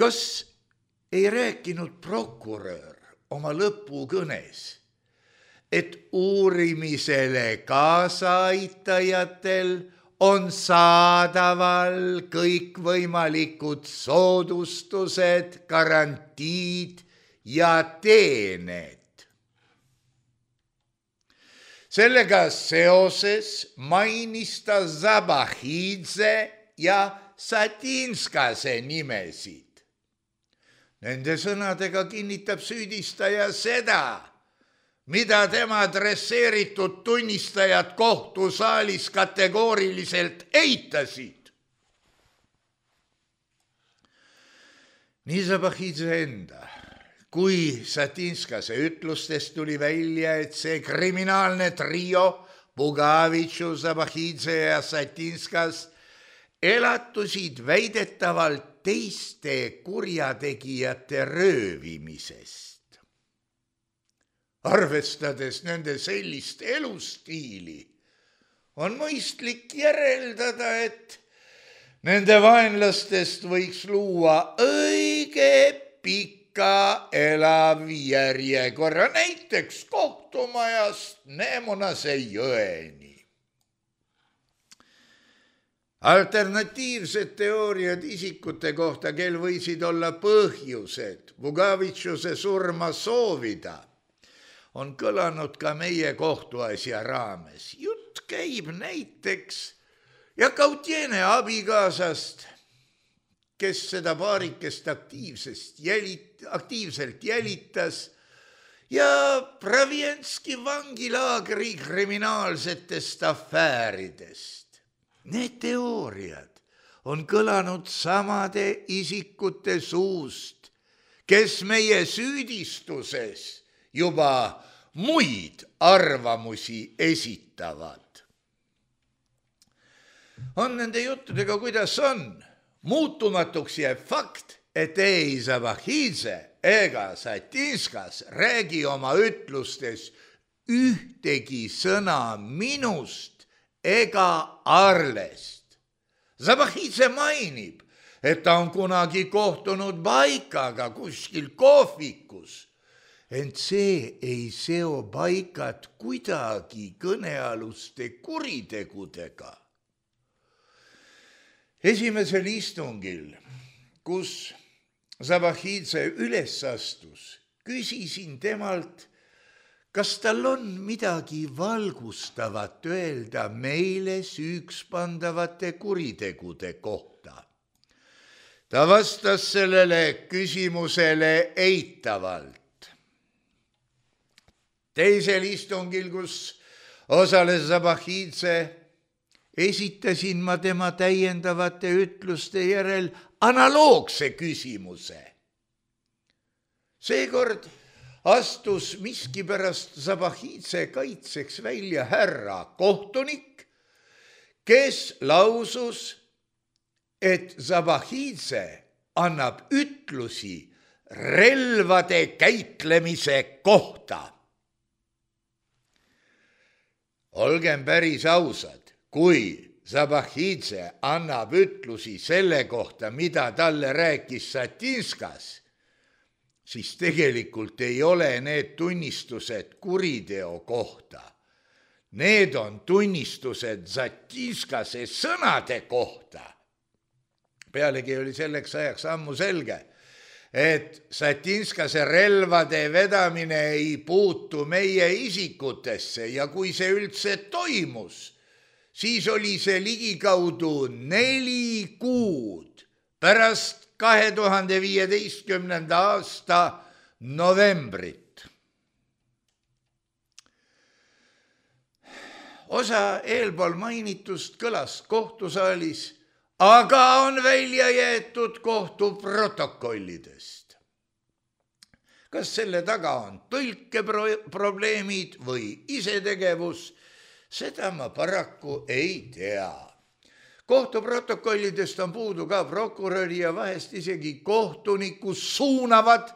Kas ei rääkinud prokurör oma lõpukõnes, et uurimisele kaasaaitajatel on saadaval kõikvõimalikud soodustused, garantiid ja teened? Sellega seoses mainis ta Zabahidze ja Satinskase nimesid. Nende sõnadega kinnitab süüdistaja seda, mida tema adresseeritud tunnistajad kohtusaalis kategooriliselt eitasid. Nii Zabahidze enda kui Satinskase ütlustest tuli välja, et see kriminaalne trio Bugavitšu, Zabahidze ja Satinskas elatusid väidetavalt teiste kurjategijate röövimisest. Arvestades nende sellist elustiili, on mõistlik järeldada, et nende vaenlastest võiks luua õige pika elav järjekorra, näiteks kohtumajast Neemunase jõeni. Alternatiivsed teooriad isikute kohta, kel võisid olla põhjused Bugavitšuse surma soovida, on kõlanud ka meie kohtuasja raames. Jutt käib näiteks Jakautiene abikaasast, kes seda paarikest aktiivsest jälit, aktiivselt jälitas, ja Pravienski vangilaagri kriminaalsetest afääridest. Need teooriad on kõlanud samade isikute suust, kes meie süüdistuses juba muid arvamusi esitavad. On nende juttudega, kuidas on. Muutumatuks jääb fakt, et ei Zabahidze ega Satinskas räägi oma ütlustes ühtegi sõna minust ega Arlest. Zabahidze mainib, et ta on kunagi kohtunud Baikaga kuskil kohvikus, ent see ei seo Baikat kuidagi kõnealuste kuritegudega. Esimesel istungil, kus Zabahidze üles astus, küsisin temalt, kas tal on midagi valgustavat öelda meile süüks pandavate kuritegude kohta? Ta vastas sellele küsimusele eitavalt. Teisel istungil, kus osales Zabahidze, esitasin ma tema täiendavate ütluste järel analoogse küsimuse. Seekord astus miskipärast Zabahidze kaitseks välja härra kohtunik, kes lausus, et Zabahidze annab ütlusi relvade käitlemise kohta. Olgem päris ausad, kui Zabahidze annab ütlusi selle kohta, mida talle rääkis Satinskas, siis tegelikult ei ole need tunnistused kuriteo kohta. Need on tunnistused Zatinskase sõnade kohta. Pealegi oli selleks ajaks ammu selge, et Satinskase relvade vedamine ei puutu meie isikutesse ja kui see üldse toimus, siis oli see ligikaudu neli kuud pärast kahe tuhande viieteistkümnenda aasta novembrit. Osa eelpool mainitust kõlas kohtusaalis, aga on välja jäetud kohtuprotokollidest. Kas selle taga on tõlkeprobleemid või isetegevus, seda ma paraku ei tea. Kohtuprotokollidest on puudu ka prokuröri ja vahest isegi kohtuniku suunavad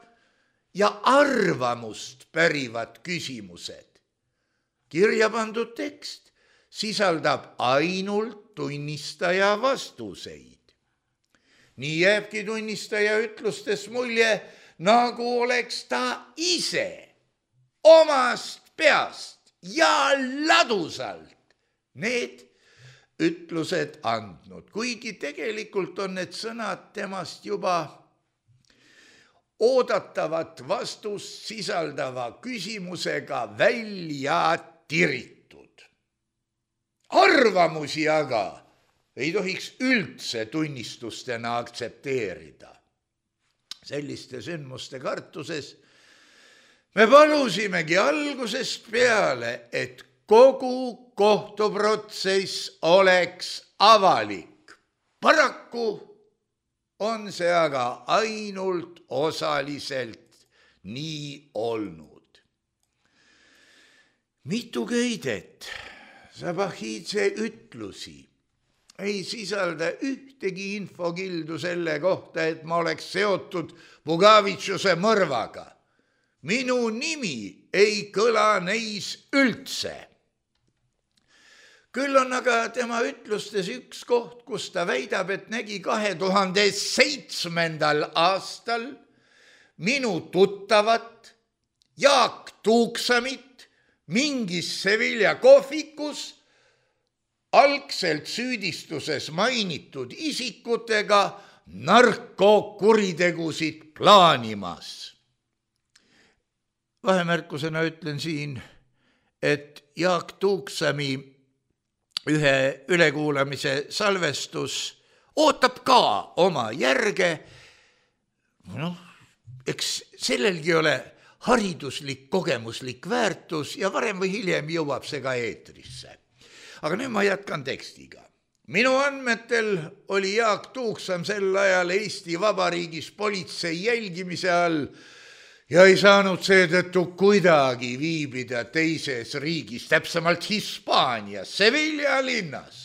ja arvamust pärivad küsimused. Kirja pandud tekst sisaldab ainult tunnistaja vastuseid. Nii jääbki tunnistaja ütlustes mulje, nagu oleks ta ise omast peast ja ladusalt need ütlused andnud, kuigi tegelikult on need sõnad temast juba oodatavat vastust sisaldava küsimusega välja tiritud. Arvamusi aga ei tohiks üldse tunnistustena aktsepteerida. Selliste sündmuste kartuses me palusimegi algusest peale, et kogu kohtuprotsess oleks avalik. Paraku on see aga ainult osaliselt nii olnud. Mitu köidet Zabahidze ütlusi ei sisalda ühtegi infokildu selle kohta, et ma oleks seotud Bugavitšuse mõrvaga. Minu nimi ei kõla neis üldse. Küll on aga tema ütlustes üks koht, kus ta väidab, et nägi kahe tuhande seitsmendal aastal minu tuttavat Jaak Tuuksamit mingis Sevilla kohvikus algselt süüdistuses mainitud isikutega narkokuritegusid plaanimas. Vahemärkusena ütlen siin, et Jaak Tuuksami ühe ülekuulamise salvestus ootab ka oma järge. Noh, eks sellelgi ole hariduslik, kogemuslik väärtus ja varem või hiljem jõuab see ka eetrisse. Aga nüüd ma jätkan tekstiga. Minu andmetel oli Jaak Tuuksam sel ajal Eesti Vabariigis politsei jälgimise all ja ei saanud seetõttu kuidagi viibida teises riigis, täpsemalt Hispaanias, Sevilla linnas.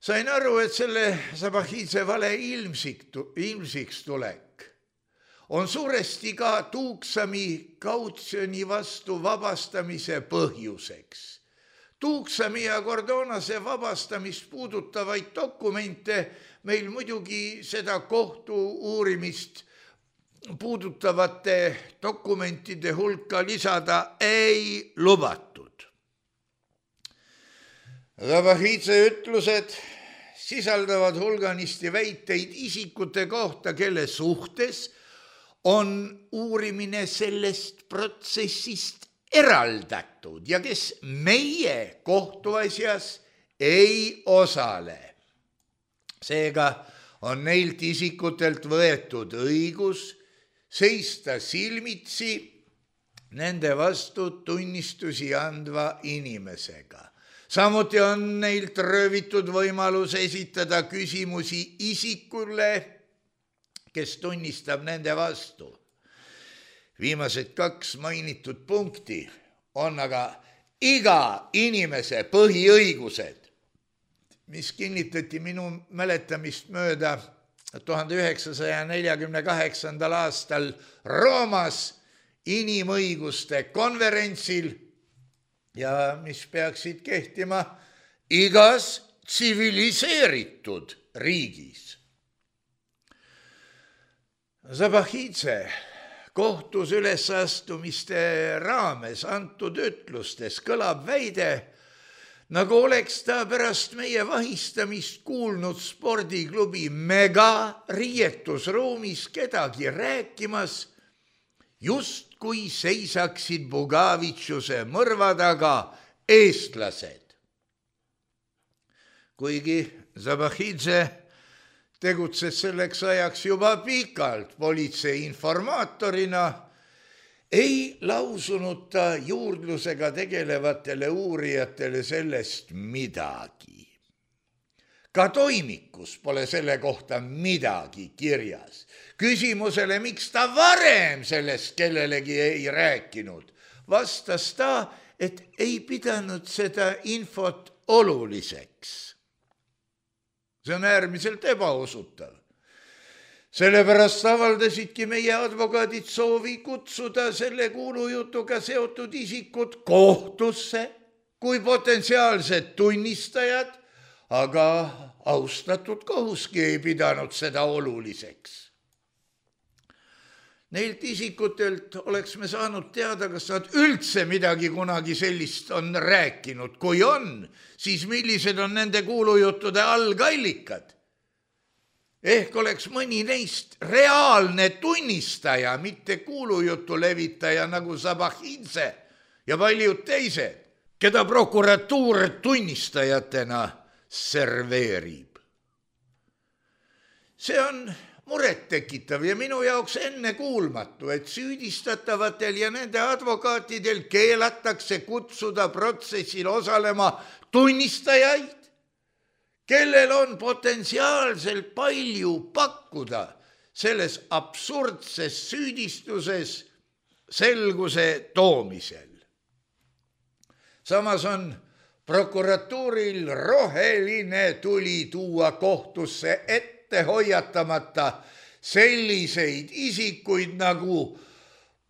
Sain aru, et selle Zabahidze vale ilmsiks tulek on suuresti ka Tuuksami kautsjoni vastu vabastamise põhjuseks. Tuuksami ja Cordonase vabastamist puudutavaid dokumente meil muidugi seda kohtu uurimist puudutavate dokumentide hulka lisada ei lubatud. Zabahidze ütlused sisaldavad hulganisti väiteid isikute kohta, kelle suhtes on uurimine sellest protsessist eraldatud ja kes meie kohtuasjas ei osale. Seega on neilt isikutelt võetud õigus seista silmitsi nende vastu tunnistusi andva inimesega. Samuti on neilt röövitud võimalus esitada küsimusi isikule, kes tunnistab nende vastu. Viimased kaks mainitud punkti on aga iga inimese põhiõigused, mis kinnitati minu mäletamist mööda tuhande üheksasaja neljakümne kaheksandal aastal Roomas inimõiguste konverentsil ja mis peaksid kehtima igas tsiviliseeritud riigis. Zabahidze kohtus ülesastumiste raames antud ütlustes kõlab väide, nagu oleks ta pärast meie vahistamist kuulnud spordiklubi Mega riietusruumis kedagi rääkimas, just kui seisaksid Bugavitšuse mõrva taga eestlased. Kuigi Zabahidze tegutses selleks ajaks juba pikalt politsei informaatorina, ei lausunud ta juurdlusega tegelevatele uurijatele sellest midagi. Ka toimikus pole selle kohta midagi kirjas. Küsimusele, miks ta varem sellest kellelegi ei rääkinud, vastas ta, et ei pidanud seda infot oluliseks. See on äärmiselt ebausutav. Sellepärast avaldasidki meie advokaadid soovi kutsuda selle kuulujutuga seotud isikud kohtusse kui potentsiaalsed tunnistajad, aga austatud kohuski ei pidanud seda oluliseks. Neilt isikutelt oleks me saanud teada, kas nad üldse midagi kunagi sellist on rääkinud. Kui on, siis millised on nende kuulujuttude algallikad? Ehk oleks mõni neist reaalne tunnistaja, mitte kuulujutu levitaja nagu Zabahidze ja paljud teised, keda prokuratuur tunnistajatena serveerib. See on muret tekitav ja minu jaoks enne kuulmatu, et süüdistatavatel ja nende advokaatidel keelatakse kutsuda protsessil osalema tunnistajaid, kellel on potentsiaalselt palju pakkuda selles absurdses süüdistuses selguse toomisel. Samas on prokuratuuril roheline tuli tuua kohtusse ette hoiatamata selliseid isikuid nagu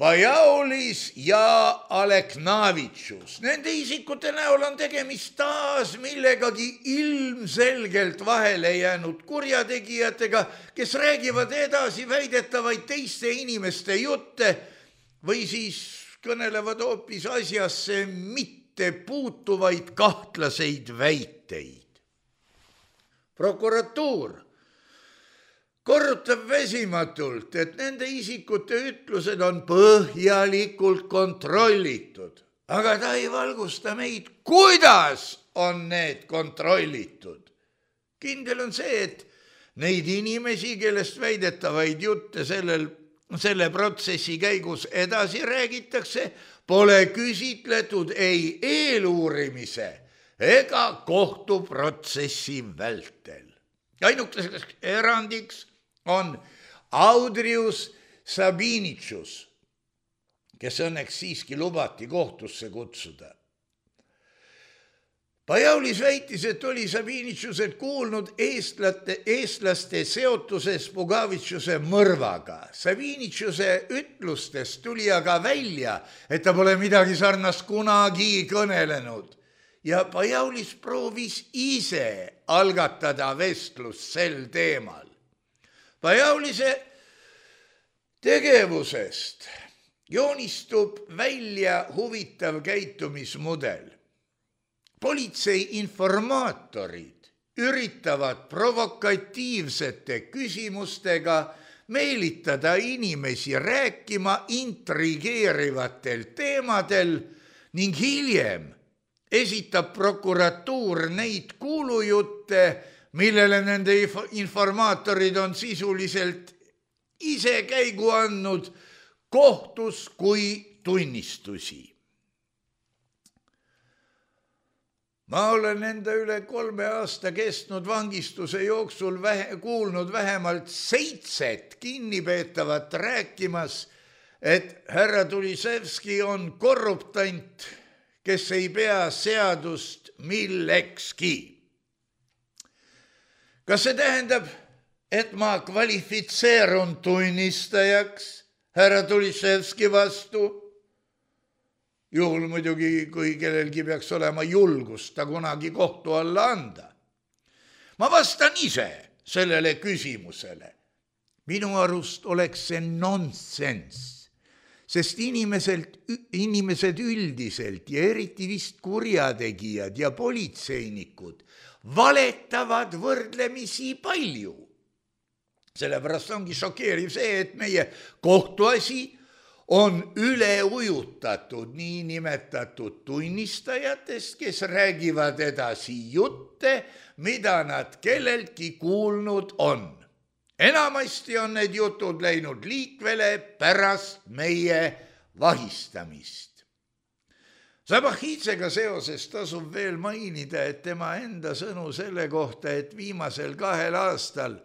Pajaulis ja Aleknavitšus. Nende isikute näol on tegemist taas millegagi ilmselgelt vahele jäänud kurjategijatega, kes räägivad edasi väidetavaid teiste inimeste jutte või siis kõnelevad hoopis asjasse mitte puutuvaid kahtlaseid väiteid. Prokuratuur korrutab väsimatult, et nende isikute ütlused on põhjalikult kontrollitud, aga ta ei valgusta meid, kuidas on need kontrollitud. Kindel on see, et neid inimesi, kellest väidetavaid jutte sellel, selle protsessi käigus edasi räägitakse, pole küsitletud ei eeluurimise ega kohtuprotsessi vältel. Ainukeseks erandiks on Audrius Sabinitšus, kes õnneks siiski lubati kohtusse kutsuda. Pajaulis väitis, et oli Sabinitšuselt kuulnud eestlaste, eestlaste seotuses Bugavitšuse mõrvaga. Sabinitšuse ütlustest tuli aga välja, et ta pole midagi sarnast kunagi kõnelenud. Ja Pajaulis proovis ise algatada vestlust sel teemal. Pajaulise tegevusest joonistub välja huvitav käitumismudel. Politsei informaatorid üritavad provokatiivsete küsimustega meelitada inimesi rääkima intrigeerivatel teemadel ning hiljem esitab prokuratuur neid kuulujutte, millele nende informaatorid on sisuliselt ise käigu andnud kohtus kui tunnistusi. Ma olen enda üle kolme aasta kestnud vangistuse jooksul vähe, kuulnud vähemalt seitset kinnipeetavat rääkimas, et härra Tulisevski on korruptant, kes ei pea seadust millekski. Kas see tähendab, et ma kvalifitseerun tunnistajaks härra Tulisevski vastu? Juhul muidugi, kui kellelgi peaks olema julgust ta kunagi kohtu alla anda. Ma vastan ise sellele küsimusele. Minu arust oleks see nonsense, sest inimeselt, inimesed üldiselt ja eriti vist kurjategijad ja politseinikud valetavad võrdlemisi palju. Sellepärast ongi šokeeriv see, et meie kohtuasi on üle ujutatud niinimetatud tunnistajatest, kes räägivad edasi jutte, mida nad kelleltki kuulnud on. Enamasti on need jutud läinud liikvele pärast meie vahistamist. Zabahhidsega seoses tasub veel mainida, et tema enda sõnu selle kohta, et viimasel kahel aastal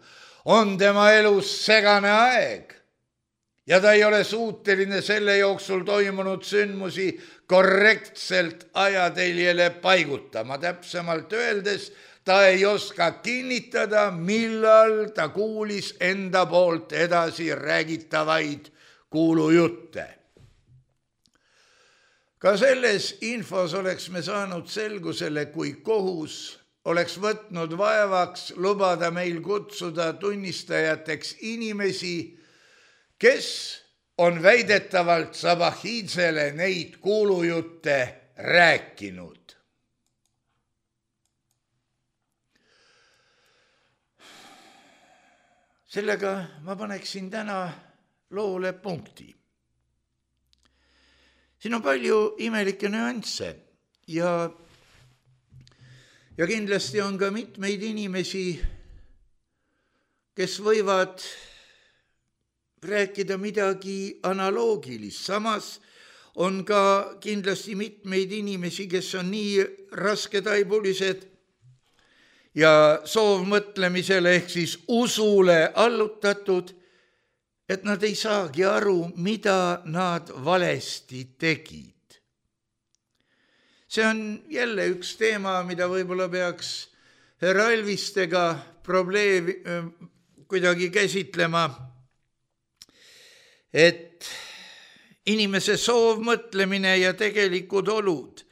on tema elus segane aeg ja ta ei ole suuteline selle jooksul toimunud sündmusi korrektselt ajateljele paigutama. Täpsemalt öeldes, ta ei oska kinnitada, millal ta kuulis enda poolt edasi räägitavaid kuulujutte. Ka selles infos oleks me saanud selgusele, kui kohus oleks võtnud vaevaks lubada meil kutsuda tunnistajateks inimesi, kes on väidetavalt Zabahhidsele neid kuulujutte rääkinud. Sellega ma paneksin täna loole punkti. Siin on palju imelikke nüansse ja, ja kindlasti on ka mitmeid inimesi, kes võivad rääkida midagi analoogilist. Samas on ka kindlasti mitmeid inimesi, kes on nii rasketaibulised ja soovmõtlemisele ehk siis usule allutatud, et nad ei saagi aru, mida nad valesti tegid. See on jälle üks teema, mida võib-olla peaks härra Elvistega probleemi kuidagi käsitlema, et inimese soovmõtlemine ja tegelikud olud,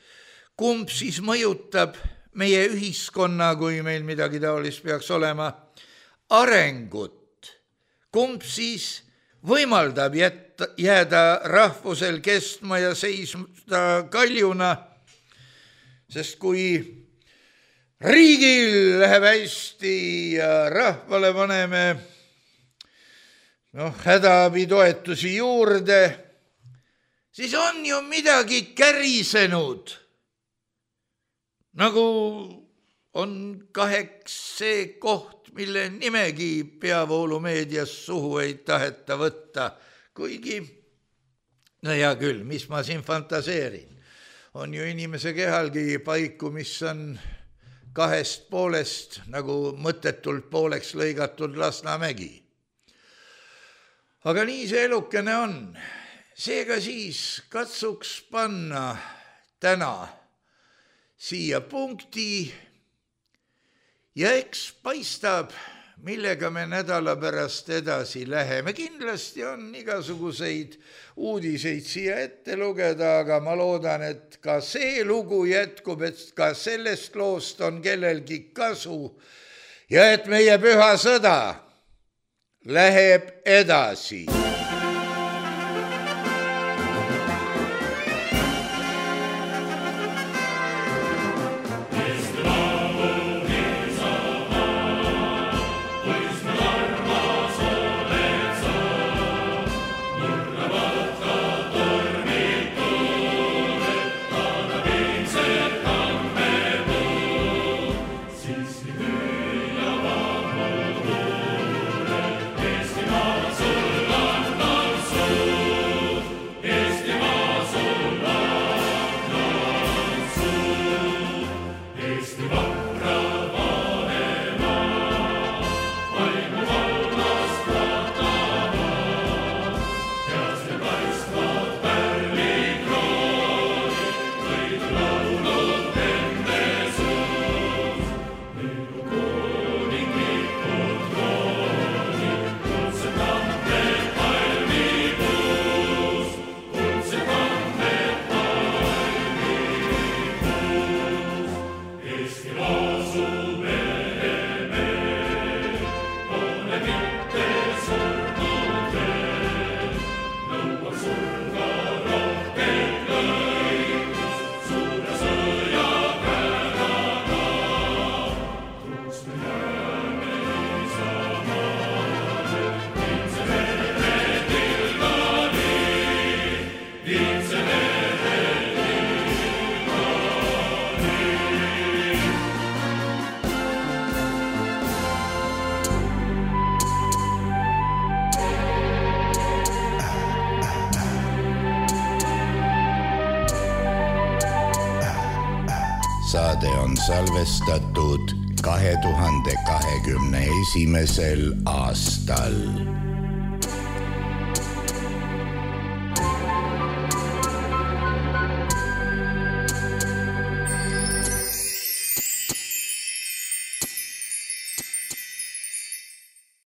kumb siis mõjutab meie ühiskonna, kui meil midagi taolist peaks olema, arengut, kumb siis võimaldab jätta, jääda rahvusel kestma ja seisma kaljuna, sest kui riigil läheb hästi ja rahvale paneme noh, hädaabitoetusi juurde, siis on ju midagi kärisenud, nagu on kaheks see koht, mille nimegi peavoolumeedias suhu ei taheta võtta, kuigi, no hea küll, mis ma siin fantaseerin, on ju inimese kehalgi paiku, mis on kahest poolest nagu mõttetult pooleks lõigatud Lasnamägi. Aga nii see elukene on. Seega siis katsuks panna täna siia punkti ja eks paistab, millega me nädala pärast edasi läheme. Kindlasti on igasuguseid uudiseid siia ette lugeda, aga ma loodan, et ka see lugu jätkub, et ka sellest loost on kellelgi kasu ja et meie püha sõda läheb edasi. Armas oled sa Saade on salvestatud kahe tuhande kahekümne esimesel aastal.